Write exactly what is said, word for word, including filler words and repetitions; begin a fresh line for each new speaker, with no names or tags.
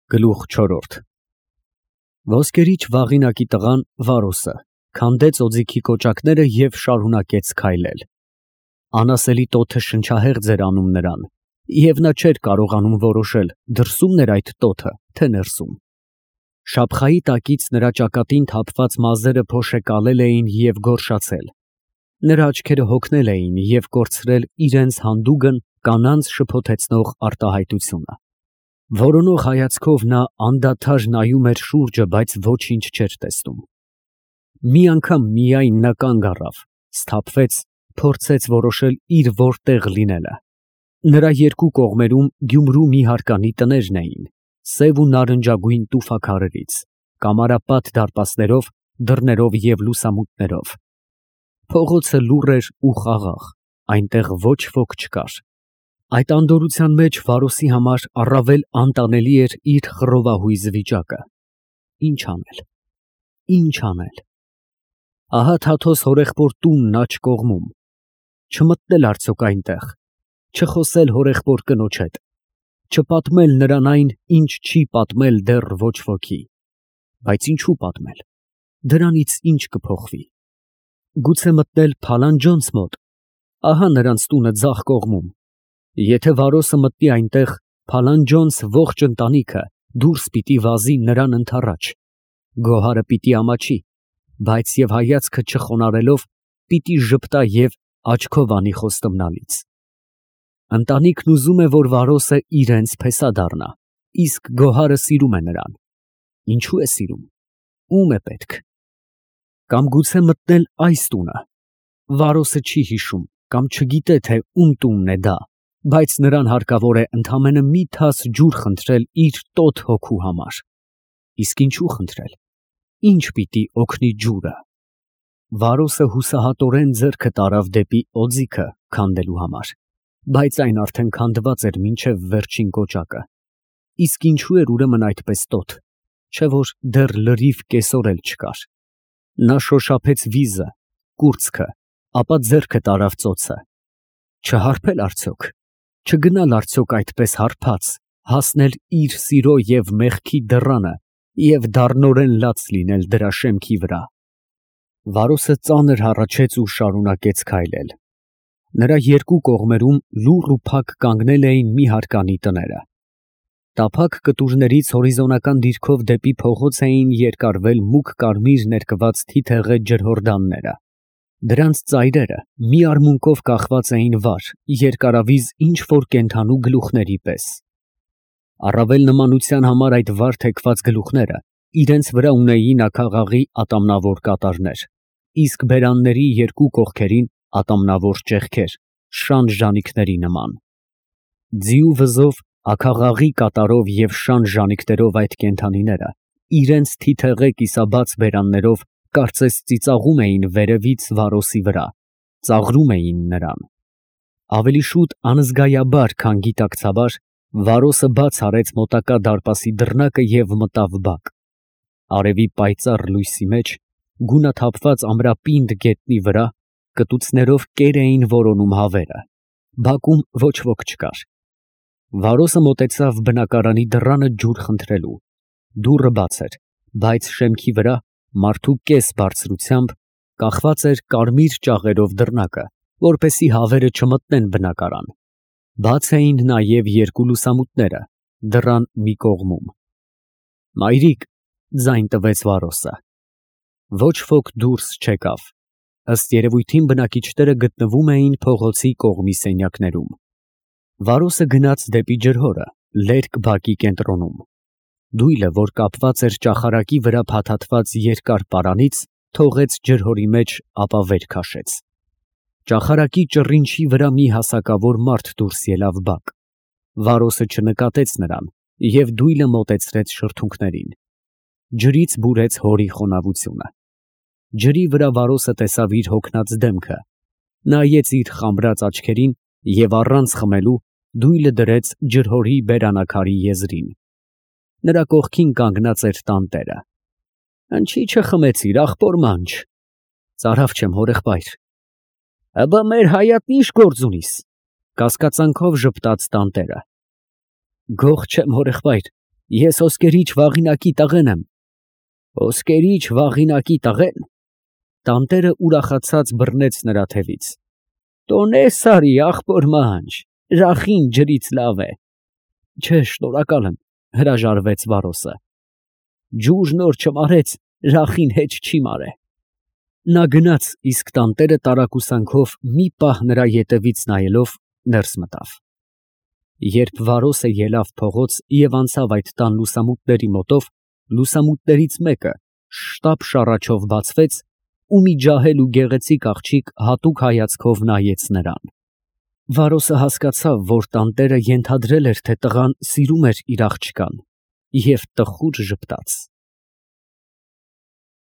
Գլուխ չորրորդ Ոսկերիչ վաղինակի տղան Վարոսը քանդեց օձիքի կոճակները և շարունակեց քայլել. անասելի տոթը շնչահեղձ էր անում նրան, և նա չէր կարողանում որոշել դրսումն էր այդ տոթը, թե ներսում. շափխայի տակից նրա ճակատին թափված մազերը փոշեկալել էին և գորշացել, նրա աչքերը հոգնել էին և կորցրել իրենց հանդուգն կանանց շփոթեցնող արտահայտությունը. որոնող հայացքով նա անդադար նայում էր շուրջը, բայց ոչինչ չէր տեսնում. մի անգամ միայն նա կանգ առավ, սթափվեց, փորձեց որոշել իր որտեղ լինելը. նրա երկու կողմերում Գյումրու մի հարկանի տներն էին, սև ու նարնջագույն տուֆաքարերից, կամարապատ դարպասներով, դռներով և լուսամուտներով. փողոցը լուռ էր ու խաղաղ, այնտեղ ոչ ոք չկար. այդ անդորրության մեջ Վարոսի համար առավել անտանելի էր իր խռովահույզ վիճակը. ինչ անել, ինչ անել. ահա Թաթոս հորեղբոր տունն աջ կողմում, չմտնել արդյոք այնտեղ, չխոսել հորեղբոր կնոջ հետ, չպատմել նրան այն, ինչ չի պատմել դեռ ոչ ոքի, բայց ինչու պատմել, դրանից ինչ կփոխվի. գուցե մտնել Փալանջոնց մոտ, ահա նրանց տունը ձախ կողմում, եթե Վարոսը մտնի այնտեղ, Փալանջոնց ողջ ընտանիքը դուրս պիտի վազի նրան ընդառաջ, գոհարը պիտի ամաչի, բայց և հայացքը չխոնարհելով պիտի ժպտա և աչքով անի խոստումնալից. ընտանիքն ուզում է, որ Վարոսը իրենց փեսա դառնա, իսկ գոհարը սիրում է նրան. ինչու է սիրում, ո՞ւմ է պետք. կամ գուցե մտնել այս տունը, Վարոսը չի հիշում կամ չգիտե, թե ում տունն է դա, բայց նրան հարկավոր է ընդամենը մի թաս ջուր խնդրել իր տոթ հոգու համար. իսկ ինչու խնդրել, ինչ պիտի օգնի ջուրը. Վարոսը հուսահատորեն ձեռքը տարավ դեպի օձիքը քանդելու համար, բայց այն արդեն քանդված էր մինչև վերջին կոճակը, իսկ ինչու էր ուրեմն այդպես տոթ, չէ որ դեռ լրիվ կեսօր էլ չկար. նա շոշափեց վիզը, կուրծքը, ապա ձեռքը տարավ ծոցը. չհարբել արդյոք, չգնալ արդյոք այդպես հարբած, հասնել իր սիրո և մեղքի դռանը և դառնորեն լաց լինել դրա շեմքի վրա. Վարոսը ծանր հառաչեց ու շարունակեց քայլել. նրա երկու կողմերում լուռ ու փակ կանգնել էին մի հարկանի տները. տափակ կտուրներից հորիզոնական դիրքով դեպի փողոց էին երկարվել մուգ կարմիր ներկված թիթեղե ջրհորդանները. դրանց ծայրերը մի արմունկով կախված էին վար, երկարավիզ ինչ֊որ կենդանու գլուխների պես. առավել նմանության համար այդ վար թեքված գլուխները իրենց վրա ունեին աքաղաղի ատամնավոր կատարներ, իսկ բերանների երկու կողքերին ատամնավոր ճեղքեր, շան ժանիքների նման. ձիու վզով, աքաղաղի կատարով և շան ժանիքներով այդ կենդանիները իրենց թիթեղե կիսաբաց բերաններով կարծես ծիծաղում էին վերևից Վարոսի վրա, ծաղրում էին նրան. ավելի շուտ անզգայաբար, քան գիտակցաբար, Վարոսը բաց արեց մոտակա դարպասի դռնակը և մտավ բակ. արևի պայծառ լույսի մեջ, գունաթափված ամրապինդ գետնի վրա, կտուցներով կեր էին որոնում հավերը, բակում ոչ ոք չկար. Վարոսը մոտեցավ բնակարանի դռանը ջուր խնդրելու. դուռը բաց էր, բայց շեմքի վրա, մարդու կես բարձրությամբ, կախված էր կարմիր ճաղերով դռնակը, որպեսզի հավերը չմտնեն բնակարան. բաց էին նաև երկու լուսամուտները, դռան մի կողմում. «Մայրիկ», ձայն տվեց Վարոսը. ոչ ոք դուրս չեկավ, ըստ երևույթին բնակիչները գտնվում էին փողոցի կողմի սենյակներում. Վարոսը գնաց դեպի ջրհորը, լերկ բակի կենտրոնում. դույլը, որ կապված էր ճախարակի վրա փաթաթված երկար պարանից, թողեց ջրհորի մեջ, ապա վեր քաշեց. ճախարակի ճռինչի վրա մի հասակավոր մարդ դուրս ելավ բակ. Վարոսը չնկատեց նրան և դույլը մոտեցրեց շրթունքներին. ջրից բուրեց հորի խոնավությունը. ջրի վրա Վարոսը տեսավ իր հոգնած դեմքը, նայեց իր խամրած աչքերին և առանց խմելու դույլը դրեց ջրհորի բերանակարի եզրին. նրա կողքին կանգնած էր տանտերը. «Ընչի չխմեցիր, ախպոր մանչ»։ «Ծարավ չեմ, հորեղբայր»։ «Աբա մեր հայատն ի՞նչ գործ ունիս», կասկածանքով ժպտաց տանտերը. «Գող չեմ, հորեղբայր, Ես ոսկերիչ Վաղինակի տղեն եմ։ Ոսկերիչ Վաղինակի տղե՞ն։ Տանտերը ուրախացած բռնեց նրա թևից։ Տոնես արի, ախպոր մանչ, ռախին ջրից լավ է։ Չէ, շնորհակալ եմ, հրաժարվեց Վարոսը։ Ջուրն օր չմարեց, ռախին հեչ չի մարե։ Նա գնաց, իսկ տանտերը տարակուսանքով մի պահ նրա ետևից նայելով ներս մտավ։ Երբ Վարոսը ելավ փողոց և անցավ այդ տան լուսամուտների մոտով, լուսամուտներից մեկը շտապ շառաչով բացվեց, ու մի ջահել ու գեղեցիկ աղջիկ հատուկ հայացքով նայեց նրան։ Վարոսը հասկացավ, որ տանտերը ենթադրել էր, թե տղան սիրում էր իր աղջկան, և տխուր ժպտաց։